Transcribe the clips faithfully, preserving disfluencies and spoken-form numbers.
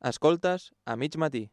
Escoltes a mig matí.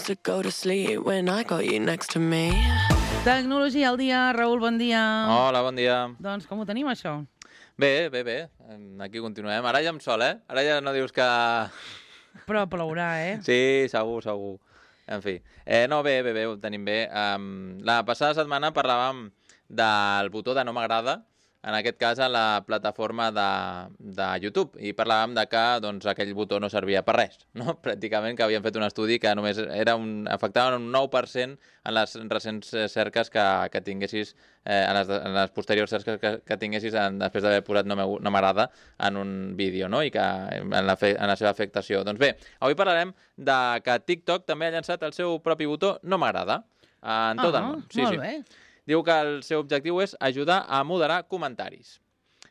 To go to sleep when I got you next to me. Tecnologia al dia, Raül, bon dia. Hola, bon dia. Doncs com ho tenim, això? Bé, bé, bé. Aquí continuem. Ara ja amb sol, eh? Ara ja no dius que... Però plourà, eh? Sí, segur, segur. En fi. Eh, no, bé, bé, bé, ho tenim bé. Um, la passada setmana parlàvem del botó de no m'agrada, en aquest cas a la plataforma de, de YouTube, i parlàvem de que doncs, aquell botó no servia per res, no? Pràcticament, que havien fet un estudi que només era un, afectava un nou per cent en les recents cerques que, que tinguessis, eh, en, les, en les posteriors cerques que, que tinguessis en, després d'haver posat no m'agrada en un vídeo, no? I que en la, fe, en la seva afectació. Doncs bé, avui parlarem de que TikTok també ha llançat el seu propi botó no m'agrada en tot ah, el món. Sí, molt sí. bé. Diu que el seu objectiu és ajudar a moderar comentaris.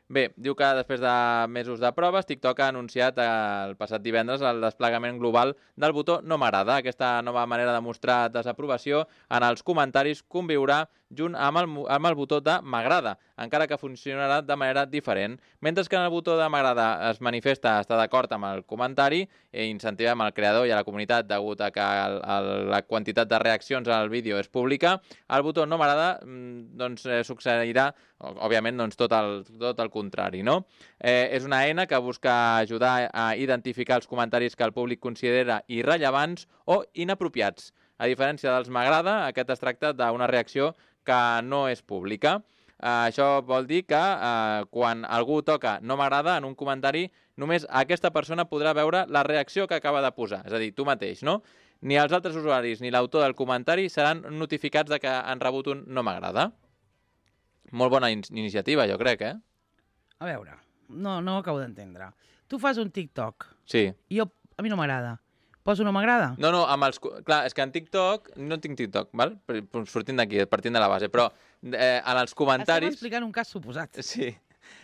Bé, diu que després de mesos de proves, TikTok ha anunciat el passat divendres el desplegament global del botó no m'agrada. Aquesta nova manera de mostrar desaprovació en els comentaris conviurà junt amb el, amb el botó de m'agrada, encara que funcionarà de manera diferent. Mentre que en el botó de m'agrada es manifesta estar d'acord amb el comentari i incentivem el creador i a la comunitat degut a que el, el, la quantitat de reaccions al vídeo és pública, el botó no m'agrada doncs, eh, succeirà, òbviament, doncs, tot, el, tot el contrari, no? Eh, és una eina que busca ajudar a identificar els comentaris que el públic considera irrellevants o inapropiats. A diferència dels m'agrada, aquest es tracta d'una reacció que no és pública. Uh, això vol dir que uh, quan algú toca no m'agrada en un comentari, només aquesta persona podrà veure la reacció que acaba de posar. És a dir, tu mateix, no? Ni els altres usuaris ni l'autor del comentari seran notificats de que han rebut un no m'agrada. Molt bona in iniciativa, jo crec, eh? A veure, no, no ho acabo d'entendre. Tu fas un TikTok. Sí. I jo, a mi no m'agrada. Poso no m'agrada? No, no, amb els... Clar, és que en TikTok... No tinc TikTok, val? Sortint d'aquí, partint de la base, però eh, en els comentaris... Estem explicant un cas suposat. Sí.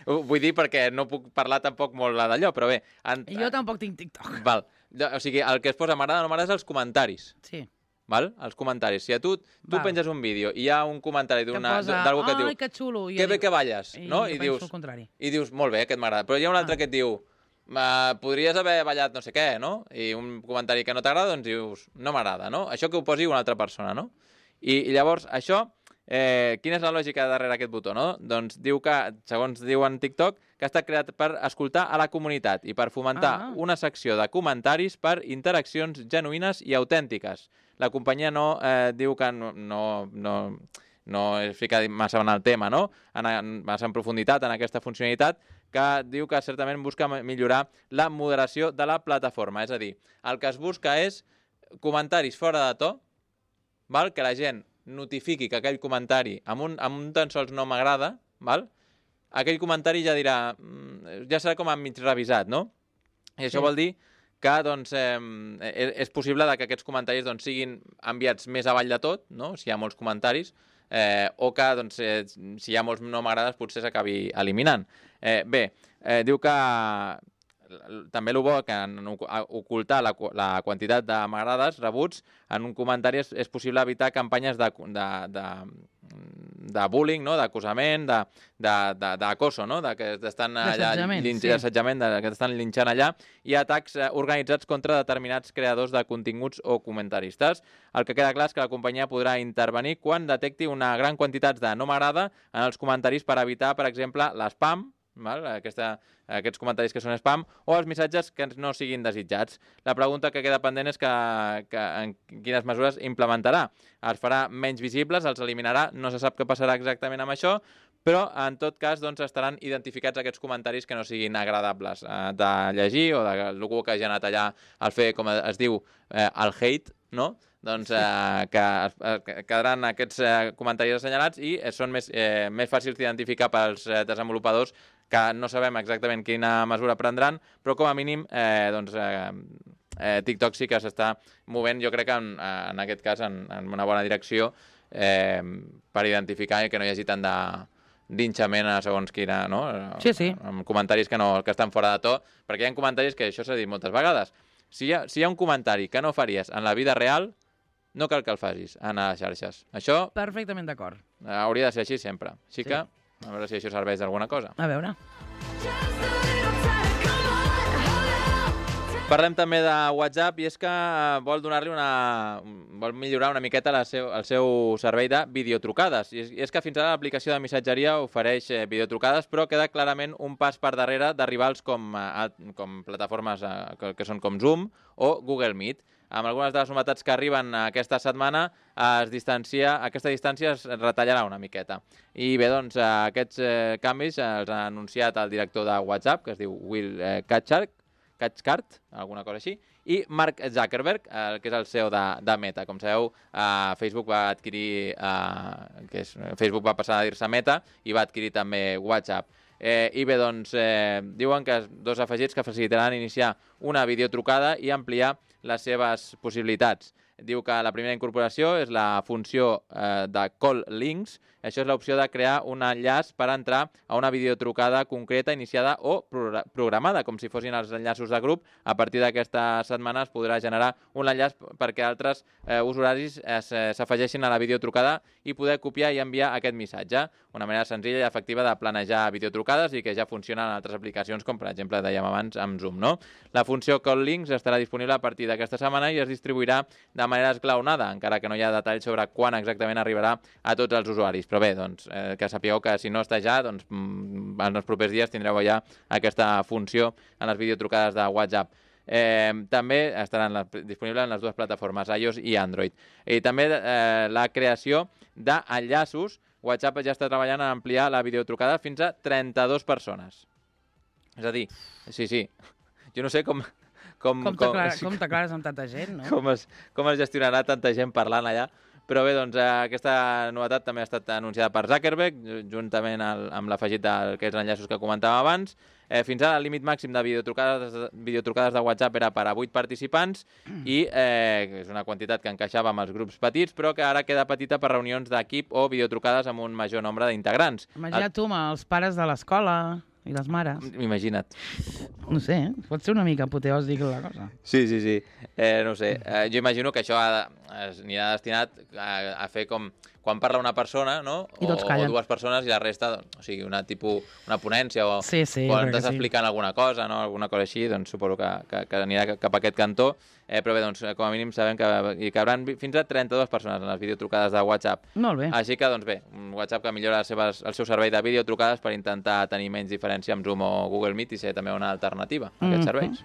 Vull dir perquè no puc parlar tampoc molt d'allò, però bé... En... Jo tampoc tinc TikTok. Val. O sigui, el que es posa m'agrada o no m'agrada és els comentaris. Sí. Val? Els comentaris. Si a tu, tu penges un vídeo i hi ha un comentari d'algú que et diu... Ai, que xulo. Que bé que balles, I no? I, I dius, el contrari. I dius, molt bé, aquest m'agrada. Però hi ha un altre ah. que et diu... Uh, podries haver ballat no sé què, no? I un comentari que no t'agrada, doncs dius, no m'agrada, no? Això que ho posi una altra persona, no? I, i llavors, això, eh, quina és la lògica darrere aquest botó, no? Doncs diu que, segons diu en TikTok, que ha estat creat per escoltar a la comunitat i per fomentar ah. una secció de comentaris per interaccions genuïnes i autèntiques. La companyia no eh, diu que no... no, no no es fica massa en el tema, no? En, en, massa en profunditat en aquesta funcionalitat, que diu que certament busca millorar la moderació de la plataforma. És a dir, el que es busca és comentaris fora de to, val? Que la gent notifiqui que aquell comentari amb un, amb un tan sols no m'agrada, val? Aquell comentari ja dirà, ja serà com a mig revisat, no? I això sí. Vol dir que doncs, eh, és possible que aquests comentaris doncs, siguin enviats més avall de tot, no? Si hi ha molts comentaris, Eh, o que doncs, eh, si hi ha molts no m'agrades potser s'acabi eliminant. Eh, bé, eh, diu que també el bo que en ocultar la, la quantitat de m'agrades rebuts en un comentari és, és possible evitar campanyes de, de, de, de bullying, no? D'acusament, d'acoso, no? De que estan allà d'assetjament, sí. Que estan linxant allà, i atacs organitzats contra determinats creadors de continguts o comentaristes. El que queda clar és que la companyia podrà intervenir quan detecti una gran quantitat de no m'agrada en els comentaris per evitar, per exemple, l'espam, val? Aquesta, aquests comentaris que són spam, o els missatges que no siguin desitjats. La pregunta que queda pendent és que, que en quines mesures implementarà. Els farà menys visibles, els eliminarà, no se sap què passarà exactament amb això, però en tot cas doncs, estaran identificats aquests comentaris que no siguin agradables eh, de llegir o d'algú que hagi anat allà al fer, com es diu, eh, el hate, no? doncs, eh, que, eh, que quedaran aquests eh, comentaris assenyalats i eh, són més, eh, més fàcils d'identificar pels eh, desenvolupadors, que no sabem exactament quina mesura prendran, però com a mínim eh, doncs, eh, eh, TikTok sí que s'està movent, jo crec que en, en aquest cas en, en una bona direcció eh, per identificar que no hi hagi tant de d'inxament a segons quina, no? Sí, sí. Amb comentaris que, no, que estan fora de to, perquè hi ha comentaris que això s'ha dit moltes vegades. Si hi, ha, si hi ha un comentari que no faries en la vida real, no cal que el facis en les xarxes. Això Perfectament d'acord. hauria de ser així sempre. Així Sí. que, a veure si això serveix d'alguna cosa. A veure. Parlem també de WhatsApp i és que eh, vol donar-li una... vol millorar una miqueta la seu, el seu servei de videotrucades. I és, I és que fins ara l'aplicació de missatgeria ofereix eh, videotrucades, però queda clarament un pas per darrere de rivals com, eh, com plataformes eh, que, que són com Zoom o Google Meet. Amb algunes de les novetats que arriben aquesta setmana, es distancia, aquesta distància es retallarà una miqueta. I bé, doncs, eh, aquests eh, canvis els ha anunciat el director de WhatsApp, que es diu Will eh, Cathcart, Cathcart, alguna cosa així, i Mark Zuckerberg, eh, que és el C E O de, de Meta. Com sabeu, eh, Facebook va adquirir, eh, que és, Facebook va passar a dir-se Meta i va adquirir també WhatsApp. Eh, I bé, doncs, eh, diuen que dos afegits que facilitaran iniciar una videotrucada i ampliar les seves possibilitats. Diu que la primera incorporació és la funció eh, de Call Links. Això és l'opció de crear un enllaç per entrar a una videotrucada concreta iniciada o pro programada, com si fossin els enllaços de grup. A partir d'aquesta setmana es podrà generar un enllaç perquè altres eh, usuaris s'afegeixin a la videotrucada i poder copiar i enviar aquest missatge. Una manera senzilla i efectiva de planejar videotrucades i que ja funciona en altres aplicacions, com per exemple dèiem abans amb Zoom, no? La funció Call Links estarà disponible a partir d'aquesta setmana i es distribuirà de manera esglaonada, encara que no hi ha detalls sobre quan exactament arribarà a tots els usuaris. Però bé, doncs, eh, que sapigueu que si no està ja, doncs, mm, en els propers dies tindreu ja aquesta funció en les videotrucades de WhatsApp. Eh, també estaran la, disponibles en les dues plataformes, iOS i Android. I també eh, la creació d'enllaços. WhatsApp ja està treballant en ampliar la videotrucada fins a trenta-dues persones. És a dir, sí, sí, jo no sé com... Com, Com t'aclares com... amb tanta gent, no? Com es, com es gestionarà tanta gent parlant allà. Però bé, doncs, eh, aquesta novetat també ha estat anunciada per Zuckerberg, juntament al, amb l'afegit d'aquests enllaços que comentàvem abans. Eh, fins ara el límit màxim de videotrucades, videotrucades de WhatsApp era per a vuit participants i eh, és una quantitat que encaixava amb els grups petits, però que ara queda petita per reunions d'equip o videotrucades amb un major nombre d'integrants. Imagina't tu, amb els pares de l'escola i les mares. Imagina't. No sé, pot ser una mica apoteòsic la cosa. Sí, sí, sí. Eh, no sé, eh, jo imagino que això ha, anirà destinat a, a fer com quan parla una persona, no? I tots o, callen. o dues persones i la resta, doncs, o sigui, una tipus, una ponència o Sí, sí, quan crec que estàs sí. explicant alguna cosa, no? Alguna cosa així, doncs suposo que, que, que anirà cap a aquest cantó. Eh, però bé, doncs, com a mínim sabem que hi cabran fins a trenta-dues persones en les videotrucades de WhatsApp. Molt bé. Així que, doncs bé, un WhatsApp que millora les seves, el seu servei de videotrucades per intentar tenir menys diferència amb Zoom o Google Meet i ser també una alternativa a aquests Mhm. serveis.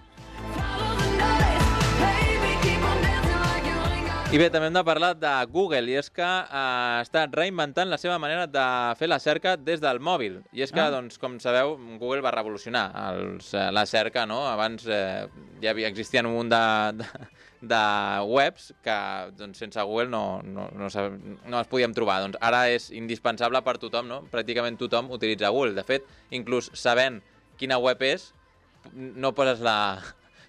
I bé, també hem de parlar de Google, i és que eh, està reinventant la seva manera de fer la cerca des del mòbil. I és que, Ah. doncs, com sabeu, Google va revolucionar els, eh, la cerca, no? Abans eh, ja havia, existien un munt de, de, de webs que doncs, sense Google no, no, no, no els podíem trobar. Doncs ara és indispensable per tothom, no? Pràcticament tothom utilitza Google. De fet, inclús sabent quina web és, no poses la...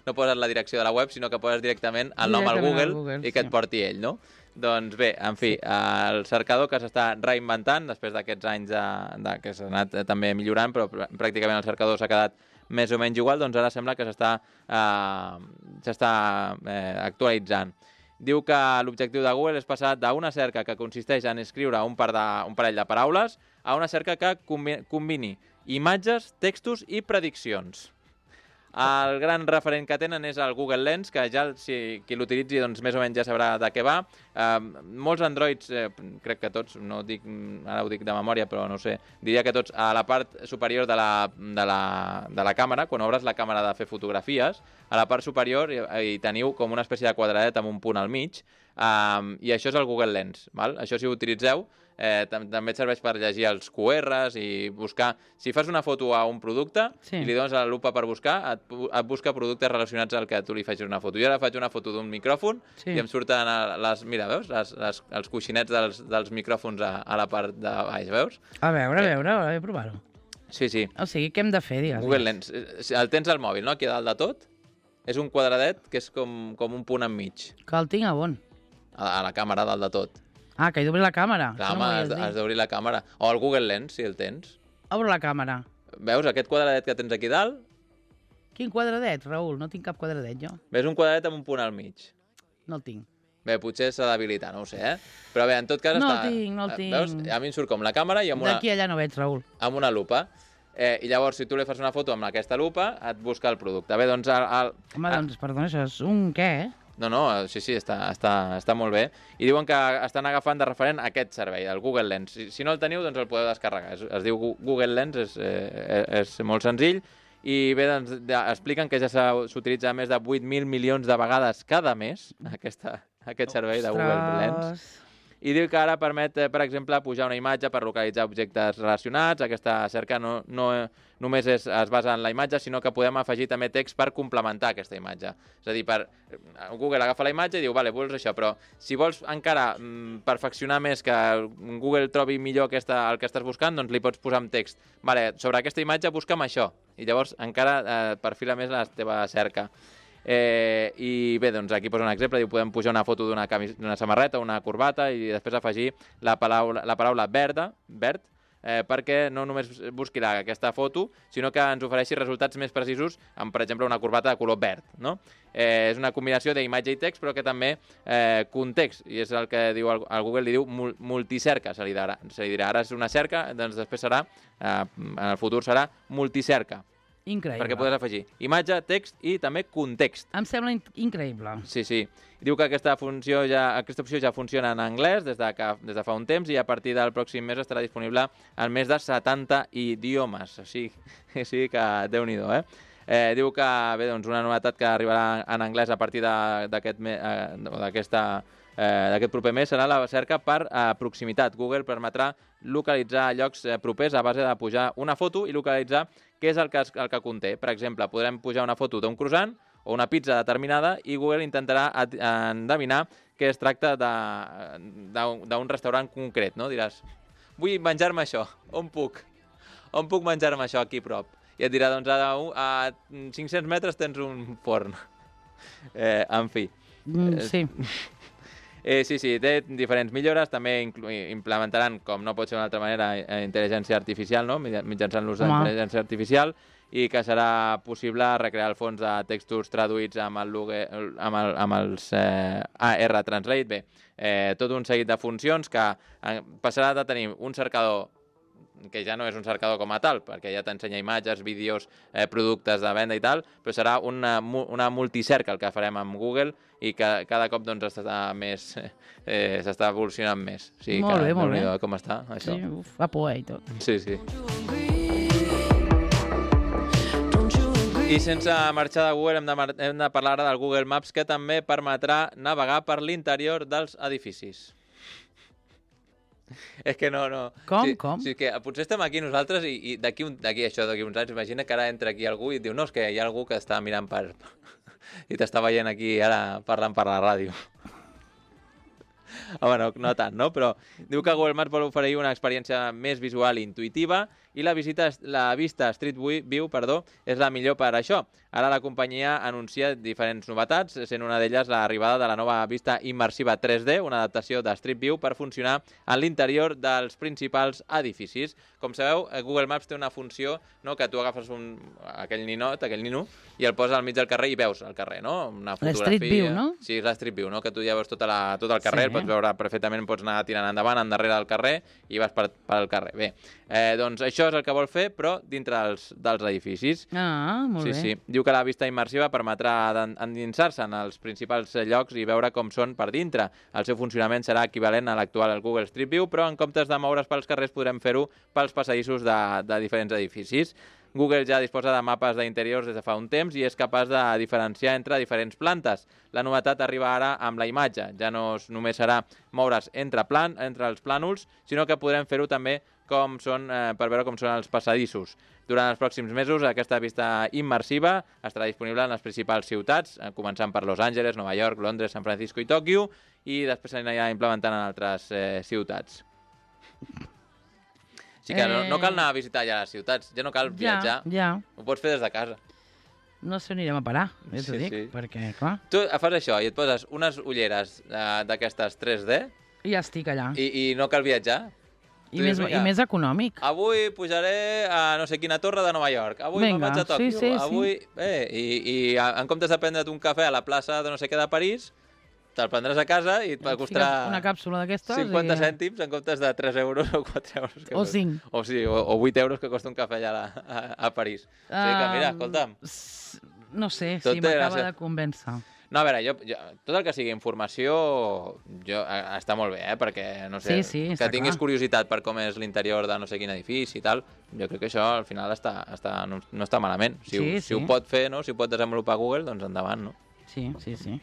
no poses la direcció de la web, sinó que poses directament el nom al Directament Google, al Google, i que et sí. porti ell, no? Doncs bé, en fi, el cercador que s'està reinventant després d'aquests anys de, de, que s'ha anat eh, també millorant, però pr- pràcticament el cercador s'ha quedat més o menys igual, doncs ara sembla que s'està eh, s'està eh, actualitzant. Diu que l'objectiu de Google és passar d'una cerca que consisteix en escriure un, par de, un parell de paraules a una cerca que combi combini imatges, textos i prediccions. El gran referent que tenen és el Google Lens, que ja si qui l'utilitzi doncs, més o menys ja sabrà de què va. Eh, molts Androids, eh, crec que tots, no dic, ara ho dic de memòria, però no sé, diria que tots, a la part superior de la, de la, de la càmera, quan obres la càmera de fer fotografies, a la part superior hi, hi teniu com una espècie de quadradet amb un punt al mig, eh, i això és el Google Lens. Val? Això si ho utilitzeu, eh, tam també et serveix per llegir els Q Rs i buscar... Si fas una foto a un producte Sí. i li dones a la lupa per buscar, et, pu- et busca productes relacionats al que tu li facis una foto. Jo ara faig una foto d'un micròfon Sí. i em surten a les... Mira, veus? Les, les, els coixinets dels, dels micròfons a, a la part de baix, veus? A veure, a Eh. veure, a veure, provar-ho. Sí, sí. O sigui, què hem de fer, digues? Google Lens. Eh, El tens al mòbil, no? Aquí a dalt de tot. És un quadradet que és com, com un punt enmig. Que el tinc a on? A, a la càmera, dalt de tot. Ah, que he d'obrir la càmera. Clar, Això home, no m'ho has, havies has dit. d'obrir la càmera. O el Google Lens, si el tens. Obro la càmera. Veus aquest quadradet que tens aquí dalt? Quin quadradet, Raül? No tinc cap quadradet, jo. Ves un quadradet amb un punt al mig. No el tinc. Bé, potser s'ha d'habilitar, no ho sé, eh? Però bé, en tot cas No està... el tinc, no el eh, tinc. Veus? A mi em surt com la càmera i amb una, D'aquí allà no veig, Raül. amb una lupa. Eh, I llavors, si tu li fas una foto amb aquesta lupa, et busca el producte. Bé, doncs... El, el, Home, doncs, perdona, això és un què, eh? No, no, sí, sí, està, està, està molt bé. I diuen que estan agafant de referent aquest servei, el Google Lens. Si, si no el teniu, doncs el podeu descarregar. Es, es diu Gu- Google Lens, és, eh, és molt senzill. I bé, doncs, de, expliquen que ja s'ha- s'utilitza més de vuit mil milions de vegades cada mes, aquesta, aquest servei de Google Lens. Ostres. I diu que ara permet, eh, per exemple, pujar una imatge per localitzar objectes relacionats. Aquesta cerca no, no només és, es basa en la imatge, sinó que podem afegir també text per complementar aquesta imatge. És a dir, per, Google agafa la imatge i diu, vale, vols això, però si vols encara mm, perfeccionar més, que Google trobi millor aquesta, el que estàs buscant, doncs li pots posar amb text. Vale, sobre aquesta imatge busca'm això. I llavors encara eh, perfila més la teva cerca. Eh, I bé, doncs aquí posa un exemple, diu podem pujar una foto d'una camis- d'una samarreta, una corbata i després afegir la paraula, la paraula verda, verd, eh, perquè no només busqui la, aquesta foto, sinó que ens ofereixi resultats més precisos amb, per exemple, una corbata de color verd. No? Eh, és una combinació d'imatge i text, però que també eh, context, i és el que diu el, el Google, li diu mul, multicerca, se li, dirà, se li dirà. Ara és una cerca, doncs després serà, eh, en el futur serà multicerca. Increïble. Perquè podràs afegir imatge, text i també context. Em sembla in increïble. Sí, sí. Diu que aquesta, funció ja, aquesta opció ja funciona en anglès des de, que, des de fa un temps i a partir del pròxim mes estarà disponible en més de setanta idiomes. O sigui, o sigui que déu-n'hi-do, eh? Eh, diu que, bé, doncs una novetat que arribarà en anglès a partir d'aquest d'aquesta eh, d'aquest proper mes serà la cerca per eh, proximitat. Google permetrà localitzar llocs eh, propers a base de pujar una foto i localitzar què és el que, el que conté. Per exemple, podrem pujar una foto d'un croissant o una pizza determinada i Google intentarà endevinar que es tracta d'un restaurant concret, no? Diràs, vull menjar-me això, on puc? On puc menjar-me això aquí a prop? I et dirà, doncs a, a cinc-cents metres tens un forn. Eh, en fi. Mm, sí. Eh, sí, sí, té diferents millores, també implementaran, com no pot ser d'una altra manera, eh, intel·ligència artificial, no? Mitjançant l'ús d'intel·ligència artificial, i que serà possible recrear el fons de textos traduïts amb, el, amb, el, amb els eh, A R Translate. Bé, eh, tot un seguit de funcions que eh, passarà de tenir un cercador que ja no és un cercador com a tal, perquè ja t'ensenya imatges, vídeos, eh, productes de venda i tal, però serà una, una multicerca el que farem amb Google i que cada cop doncs, està més, eh, s'està evolucionant més. O sigui, Molt que, bé, molt bé. Com està, això? Sí, uf, fa por, eh, i tot. Sí, sí. I sense marxar de Google hem de, hem de parlar ara del Google Maps, que també permetrà navegar per l'interior dels edificis. És que no, no... Com, sí, com? Sí, que potser estem aquí nosaltres i, i d'aquí això, d'aquí uns anys, imagina que ara entra aquí algú i et diu no, és que hi ha algú que està mirant per... i t'està veient aquí ara parlant per la ràdio. Home, no, no tant, no? Però diu que Google Maps vol oferir una experiència més visual i intuïtiva i la, visita, la vista Street View perdó, és la millor per això. Ara la companyia anuncia diferents novetats, sent una d'elles l'arribada de la nova vista immersiva tres D, una adaptació de Street View per funcionar en l'interior dels principals edificis. Com sabeu, Google Maps té una funció, no?, que tu agafes un, aquell ninot, aquell nino, i el poses al mig del carrer i veus el carrer, no? Una fotografia. L'Street View, no? Sí, és la Street View, no?, que tu ja veus tota la, tot el carrer, sí, el pots veure perfectament, pots anar tirant endavant, endarrere del carrer i vas per, per el carrer. Bé, eh, doncs això és el que vol fer, però dintre dels, dels edificis. Ah, molt sí, bé. Sí. Diu que la vista immersiva permetrà endinsar-se en els principals llocs i veure com són per dintre. El seu funcionament serà equivalent a l'actual Google Street View, però en comptes de moure's pels carrers podrem fer-ho pels passadissos de, de diferents edificis. Google ja disposa de mapes d'interiors des de fa un temps i és capaç de diferenciar entre diferents plantes. La novetat arriba ara amb la imatge. Ja no només serà moure's entre, plan, entre els plànols, sinó que podrem fer-ho també com són, eh, per veure com són els passadissos. Durant els pròxims mesos, aquesta vista immersiva estarà disponible en les principals ciutats, eh, començant per Los Angeles, Nova York, Londres, San Francisco i Tòquio, i després s'anirà implementant en altres eh, ciutats. Així que no, no cal anar a visitar ja les ciutats, ja no cal viatjar, Ja, ja. ho pots fer des de casa. No sé on anirem a parar, ja t'ho Sí, dic, sí. perquè, clar, Tu fas això i et poses unes ulleres eh, d'aquestes tres D ja estic allà. i, i no cal viatjar. I, tu més, dius, I vinga, més econòmic. Avui pujaré a no sé quina torre de Nova York, avui me'n Vinga, vaig a Tòquio, sí, sí, sí. avui... Eh, i, I en comptes de prendre't un cafè a la plaça de no sé què de París, te'l prendràs a casa i et Et costarà fiques una càpsula d'aquestes cinquanta i... cèntims en comptes de tres euros o quatre euros. Que O costa. cinc. O, sí, o, o vuit euros que costa un cafè allà a, a, a París. O sigui que, mira, Um, escolta'm... s- No sé, Tot si té m'acaba gràcia. de convèncer. No, a veure, jo, jo, tot el que sigui informació jo, eh, està molt bé, eh? Perquè, no sé, Sí, sí, que està tinguis clar. curiositat per com és l'interior de no sé quin edifici i tal, jo crec que això al final està, està, no, no està malament. Si, Sí, ho, si sí. ho pot fer, no? Si ho pot desenvolupar Google, doncs endavant, no? Sí, sí, sí.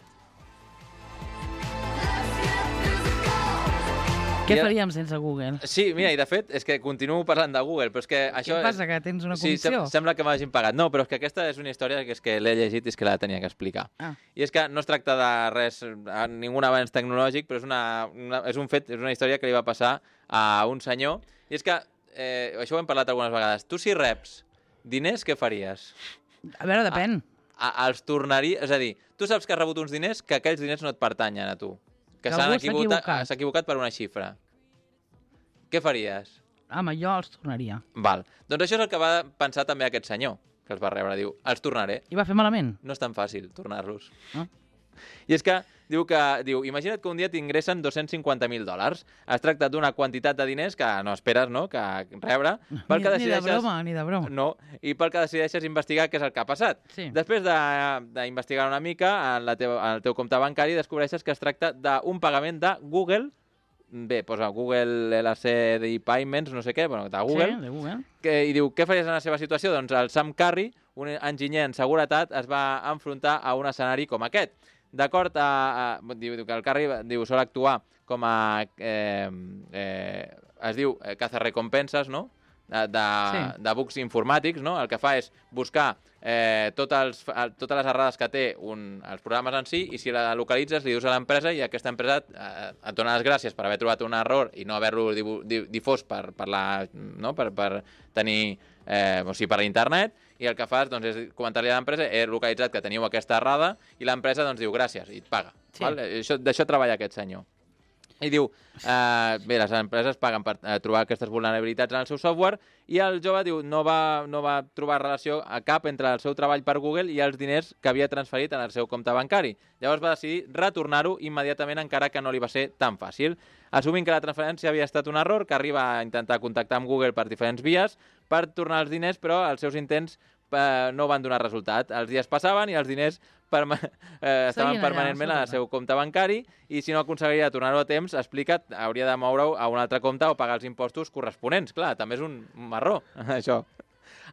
Què I ara- faríem sense Google? Sí, mira, i de fet, és que continuo parlant de Google, però és que això... Què passa, és... que tens una Sí, comissió? sem sembla que m'hagin pagat. No, però és que aquesta és una història que és que l'he llegit i és que la tenia que explicar. Ah. I és que no es tracta de res, a ningun avanç tecnològic, però és, una, una, és un fet, és una història que li va passar a un senyor. I és que, eh, això ho hem parlat algunes vegades, tu si reps diners, què faries? A veure, depèn. A, els tornaria... És a dir, tu saps que has rebut uns diners que aquells diners no et pertanyen a tu. Que Que s'han algú s'ha equivocat, equivocat. s'ha equivocat per una xifra. Què faries? Home, jo els tornaria. Val. Doncs això és el que va pensar també aquest senyor, que els va rebre. Diu, els tornaré. I va fer malament? No és tan fàcil tornar-los. Ah. I és que diu que diu, imagina't que un dia t'ingressen dos-cents cinquanta mil dòlars. Es tracta d'una quantitat de diners que no esperes, no?, que rebre. Pel Ni, que ni de decideixes... broma, ni de broma. No, i pel que decideixes investigar què és el que ha passat. Sí. Després de- d'investigar una mica en, la teva, en el teu compte bancari, descobreixes que es tracta d'un pagament de Google, bé, posa Google L C D Payments, no sé què, bueno, de Google, Sí, de Google. que, i diu, què faries en la seva situació? Doncs el Sam Curry, un enginyer en seguretat, es va enfrontar a un escenari com aquest. D'acord, a, a, diu, diu que el Curry diu, sol actuar com a... Eh, eh, es diu eh, cazarrecompenses, no?, de, de, Sí. de bugs informàtics, no? El que fa és buscar eh, tots els, el- totes les errades que té un, els programes en si, i si la localitzes li dius a l'empresa i aquesta empresa eh, et dona les gràcies per haver trobat un error i no haver-lo dibu- di- difós per, per, la, no? per, per tenir eh, o sigui, per internet, i el que fas doncs, és comentar-li a l'empresa, he localitzat que teniu aquesta errada, i l'empresa doncs, diu gràcies i et paga. Sí. Val? Això, d'això treballa aquest senyor. I diu, eh, bé, les empreses paguen per eh, trobar aquestes vulnerabilitats en el seu software, i el jove diu no va, no va trobar relació a cap entre el seu treball per Google i els diners que havia transferit en el seu compte bancari. Llavors va decidir retornar-ho immediatament, encara que no li va ser tan fàcil. Assumint que la transferència havia estat un error, que arriba a intentar contactar amb Google per diferents vies per tornar els diners, però els seus intents eh, no van donar resultat. Els dies passaven i els diners perma eh, estaven allà, permanentment al sota. seu compte bancari, i si no aconseguiria tornar-ho a temps, explica, hauria de moure-ho a un altre compte o pagar els impostos corresponents. Clar, també és un marró, això.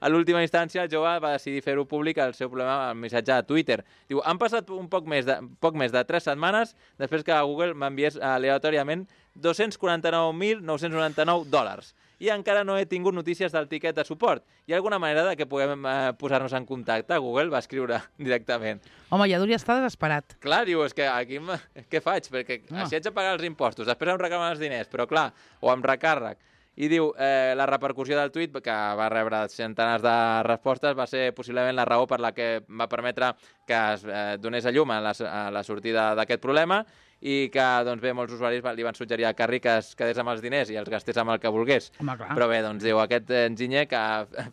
A l'última instància, el jove va decidir fer-ho públic el seu problema al missatge a Twitter. Diu, han passat un poc més de, poc més de tres setmanes després que Google m'enviés aleatòriament dos-cents quaranta-nou mil nou-cents noranta-nou dòlars. I encara no he tingut notícies del tiquet de suport. Hi ha alguna manera de que puguem eh, posar-nos en contacte? Google va escriure directament. Home, ja hauria estar desesperat. Clar, diu, és que aquí m- què faig? Perquè No. si haig de pagar els impostos, després em reclamen els diners, però clar, o amb recàrrec. I diu, eh, la repercussió del tuit, que va rebre centenars de respostes, va ser possiblement la raó per la que va permetre que es eh, donés a llum a la, a la sortida d'aquest problema, i que, doncs bé, molts usuaris va- li van suggerir a Curry que es quedés amb els diners i els gastés amb el que volgués. Home, clar. Però bé, doncs diu, aquest enginyer que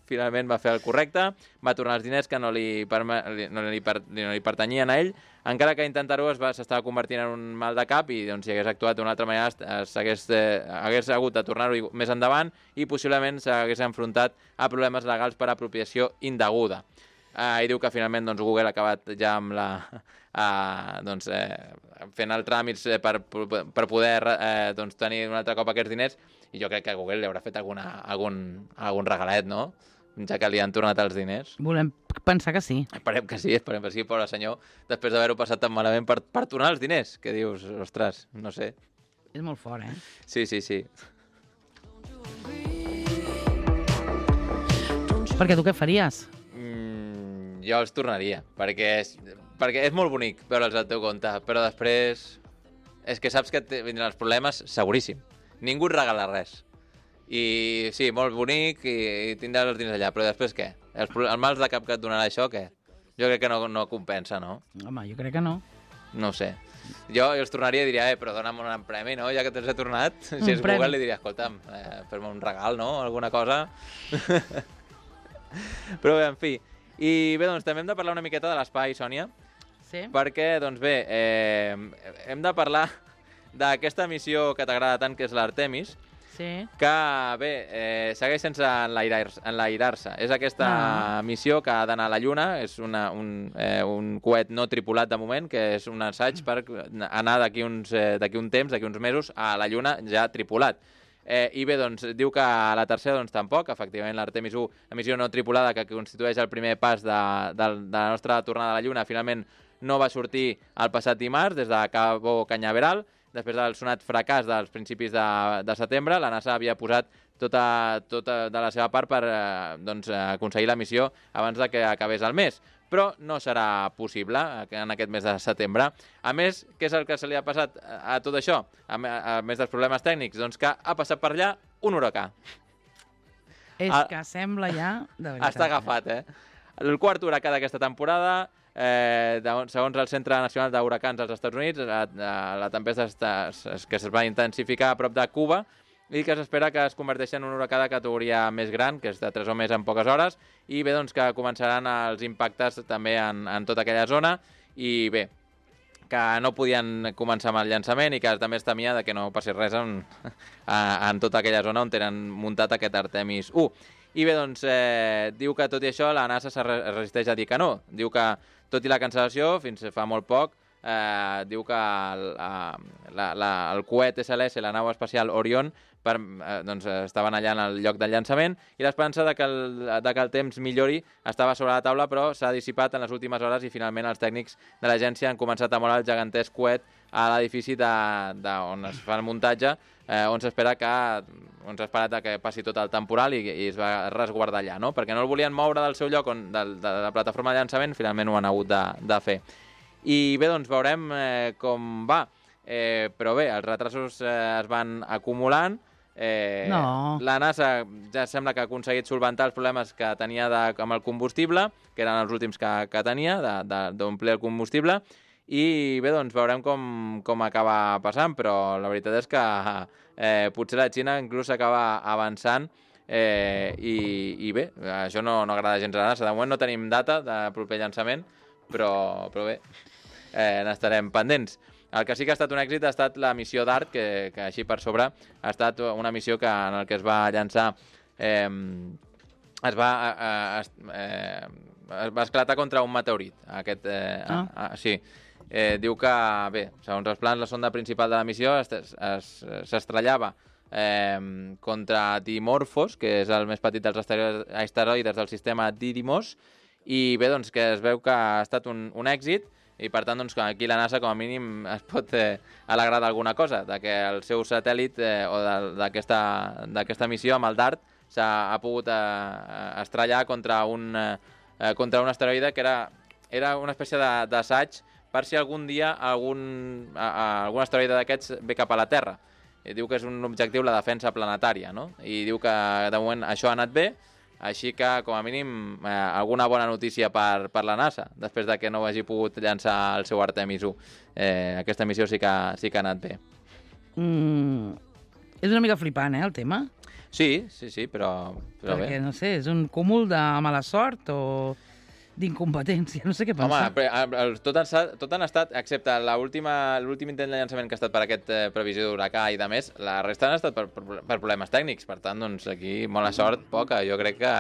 finalment va fer el correcte, va tornar els diners que no li, perme, li- no li, per, no li pertanyien a ell, encara que intentar-ho es va- s'estava convertint en un mal de cap, i doncs, si hagués actuat d'una altra manera es- s'hagués eh, hagués hagut de tornar-ho més endavant, i possiblement s'hagués enfrontat a problemes legals per apropiació indeguda. Uh, I diu que finalment doncs, Google ha acabat ja amb la, uh, doncs, eh, fent els tràmits eh, per, per poder eh, doncs, tenir un altre cop aquests diners, i jo crec que Google li haurà fet alguna, algun, algun regalet, no? ja que li han tornat els diners. Volem pensar que sí. Esperem que sí, esperem que sí, pobre senyor, després d'haver-ho passat tan malament per, per tornar els diners, que dius, ostres, no sé. És molt fort, eh? Sí, sí, sí. Perquè tu què faries? Mm, jo els tornaria, perquè és, perquè és molt bonic veure'ls al teu compte, però després és que saps que et vindran els problemes seguríssim. Ningú et regala res. I sí, molt bonic i, i tindràs els diners allà, però després què? Els, el mals de cap que et donarà això, què? Jo crec que no, no compensa, no? Home, jo crec que no. No ho sé. Jo, jo els tornaria i diria, eh, però dona'm un premi, no? Ja que te'ls he tornat. Si Un és premi. Google, li diria, escolta'm, eh, fes-me un regal, no? Alguna cosa. Però bé, en fi. I bé, doncs també hem de parlar una miqueta de l'espai, Sònia, Sí? perquè, doncs bé, eh, hem de parlar d'aquesta missió que t'agrada tant, que és l'Artemis, Sí. que, bé, eh, segueix sense enlairar-se. enlairar-se. És aquesta Ah. missió que ha d'anar a la Lluna, és una, un, eh, un coet no tripulat de moment, que és un assaig per anar d'aquí uns, eh, d'aquí un temps, d'aquí uns mesos, a la Lluna ja tripulat. Eh, I bé, doncs, diu que a la tercera doncs, tampoc, efectivament l'Artemis u, la missió no tripulada, que constitueix el primer pas de, de, de la nostra tornada a la Lluna, finalment no va sortir el passat dimarts des de Cabo Cañaveral. Després del sonat fracàs dels principis de, de setembre, la NASA havia posat tota, tota de la seva part per eh, doncs, aconseguir la missió abans de que acabés el mes. Però no serà possible en aquest mes de setembre. A més, què és el que se li ha passat a, a tot això? A, a, a més dels problemes tècnics, doncs que ha passat per allà un huracà. És Ah. que sembla ja... De veritat, Està agafat, eh? El quart huracà d'aquesta temporada, eh, de, segons el Centre Nacional d'Huracans dels Estats Units, la, la, la tempesta està, es, que es va intensificar a prop de Cuba i que s'espera que es converteixi en un huracà de categoria més gran, que és de tres o més en poques hores, i bé, doncs que començaran els impactes també en, en tota aquella zona, i bé, que no podien començar amb el llançament i que també es temia de que no passés res en, en tota aquella zona on tenen muntat aquest Artemis u. I bé, doncs, eh, diu que tot i això la NASA es resisteix a dir que no. Diu que, tot i la cancel·lació, fins fa molt poc, eh, diu que el, la, la, el coet S L S, la nau espacial Orion, per, eh, doncs, estaven allà en el lloc del llançament i l'esperança de, que el, de que el temps millori estava sobre la taula, però s'ha dissipat en les últimes hores i finalment els tècnics de l'agència han començat a moure el gegantesc coet a l'edifici de, de, on es fa el muntatge, eh, on s'espera que on s'ha esperat que passi tot el temporal i, i es va resguardar allà, no? Perquè no el volien moure del seu lloc, on, de, de la plataforma de llançament, finalment ho han hagut de, de fer. I bé, doncs veurem eh, com va. Eh, però bé, els retrasos eh, es van acumulant. Eh, No. La NASA ja sembla que ha aconseguit solventar els problemes que tenia de, amb el combustible, que eren els últims que, que tenia, d'omplir el combustible. I bé, doncs veurem com, com acaba passant, però la veritat és que eh, potser la Xina inclús acaba avançant eh, i, i bé, això no, no agrada gens a la NASA. De moment no tenim data de proper llançament, però, però bé, eh, n'estarem pendents. El que sí que ha estat un èxit ha estat la missió DART, que, que així per sobre ha estat una missió que, en el que es va llançar eh, es va eh, eh, es va esclatar contra un meteorit. Aquest, eh, Ah. ah, sí. Eh, diu que, bé, segons els plans, la sonda principal de la missió s'estrellava eh, contra Dimorphos, que és el més petit dels asteroides del sistema Didymos, i bé, doncs que es veu que ha estat un, un èxit, i per tant, doncs, aquí la NASA com a mínim es pot eh, alegrar d'alguna cosa, de que el seu satèl·lit eh, o d'aquesta missió amb el DART s'ha pogut eh, estrellar contra un, eh, contra un asteroide que era, era una espècie d'assaig per si algun dia algun, a, a, algun asteroide d'aquests ve cap a la Terra. I diu que és un objectiu la defensa planetària, no? I diu que de moment això ha anat bé, així que com a mínim eh, alguna bona notícia per, per la NASA, després de que no hagi pogut llançar el seu Artemis u. Eh, aquesta missió sí que, sí que ha anat bé. Mm, és una mica flipant, eh, el tema? Sí, sí, sí, però, però Perquè, bé. no sé, és un cúmul de mala sort o d'incompetència, no sé què Home, pensar. però, eh, tot, han, estat- tot han estat, excepte l'últim intent de llançament que ha estat per aquest eh, previsió d'huracà i de més, la resta han estat per, per, per problemes tècnics. Per tant, doncs aquí, molt sort, poca. Jo crec que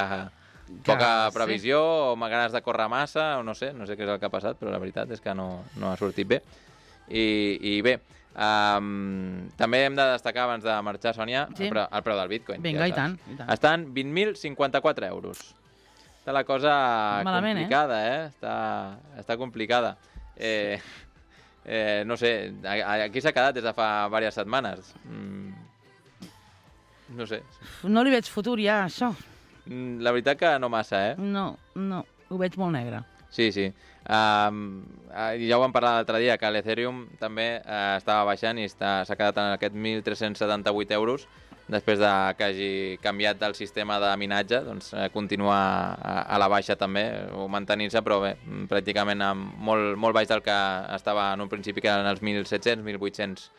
poca sí. previsió o ganes de córrer massa, o no sé, no sé què és el que ha passat, però la veritat és que no, no ha sortit bé. I, i bé, um, també hem de destacar, abans de marxar, Sònia, Sí. el, preu, el preu del Bitcoin. Vinga, ja i tant, saps. i tant. Estan vint mil cinquanta-quatre euros. està la cosa Malament, complicada, eh? eh? Està, està complicada. Eh, eh, no sé, aquí s'ha quedat des de fa diverses setmanes. Mm, no sé. No li veig futur ja, això. La veritat que no massa, eh? No, no, ho veig molt negre. Sí, sí. Um, ja ho vam parlar l'altre dia, que l'Ethereum també uh, estava baixant i s'ha quedat en aquest mil tres-cents setanta-vuit euros després de que hagi canviat el sistema de minatge, doncs eh, continua a, a la baixa també, o mantenint-se, però bé, pràcticament amb molt, molt baix del que estava en un principi, que eren els mil set-cents, mil vuit-cents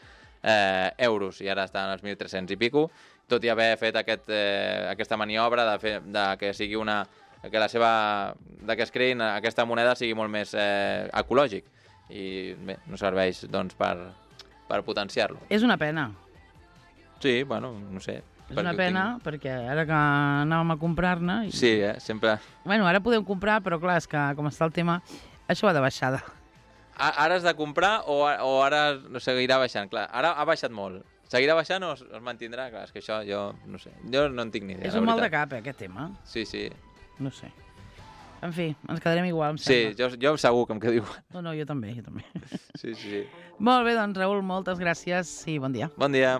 eh, euros, i ara està en els mil tres-cents i pico, tot i haver fet aquest, eh, aquesta maniobra de, fer, de que sigui una que la seva, de que es creïn aquesta moneda sigui molt més eh, ecològic i bé, no serveix doncs per, per potenciar-lo. És una pena. Sí, bueno, no sé. És una pena, tinc... perquè ara que anàvem a comprar-ne... I... Sí, eh, sempre... Bueno, ara podem comprar, però clar, és que com està el tema, això va de baixada. Ara has de comprar o, o ara no seguirà baixant? Clar, ara ha baixat molt. Seguirà baixant o es, es mantindrà? Clar, és que això jo no sé. Jo no en tinc ni idea. És un mal de cap, eh, aquest tema. Sí, sí. No sé. En fi, ens quedarem igual, em sí, sembla. Sí, jo, jo segur que em quedo igual. No, no, jo també, jo també. Sí, sí, sí. Molt bé, doncs, Raül, moltes gràcies i bon dia. Bon dia.